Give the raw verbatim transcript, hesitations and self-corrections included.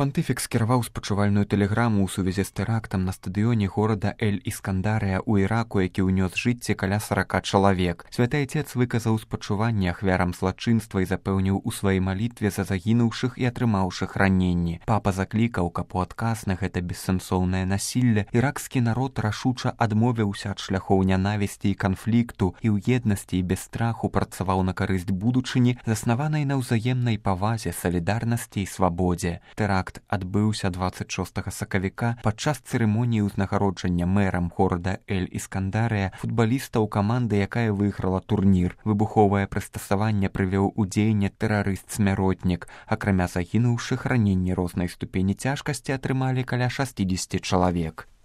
Пантыфік скіраваў спачувальную тэлеграму ў сувязі з тэрактам на стадыёне горада Эль-Іскандарыя ў Іраку, які ўнёс жыцці каля сарака чалавек. Святы Айцец выказаў спачуванне ахвярам злачынства і запэўніў у сваёй малітве за загінуўшых і атрымаўшых раненні. Папа заклікаў, каб у адказ на гэта бессэнсоўнае насілле іракскі народ рашуча адмовіўся ад шляхоў нянавісці і канфлікту і ў еднасці і без страху працаваў на карысць будучыні, заснаванай на ўзаемнай павазе, салідарнасці і свабодзе. Тэракт адбыўся дваццаць шостага сакавіка падчас цырымоніі ўзнагароджання мэрам горада Эль-Іскандарыя футбалістаў каманды, якая выйграла турнір. Выбуховае прыстасаванне прывёў у дзеянне тэрарыст-смяротнік. Акрамя загінуўшых, раненні рознай ступені цяжкасці атрымалі каля шасцідзесяці чалавек.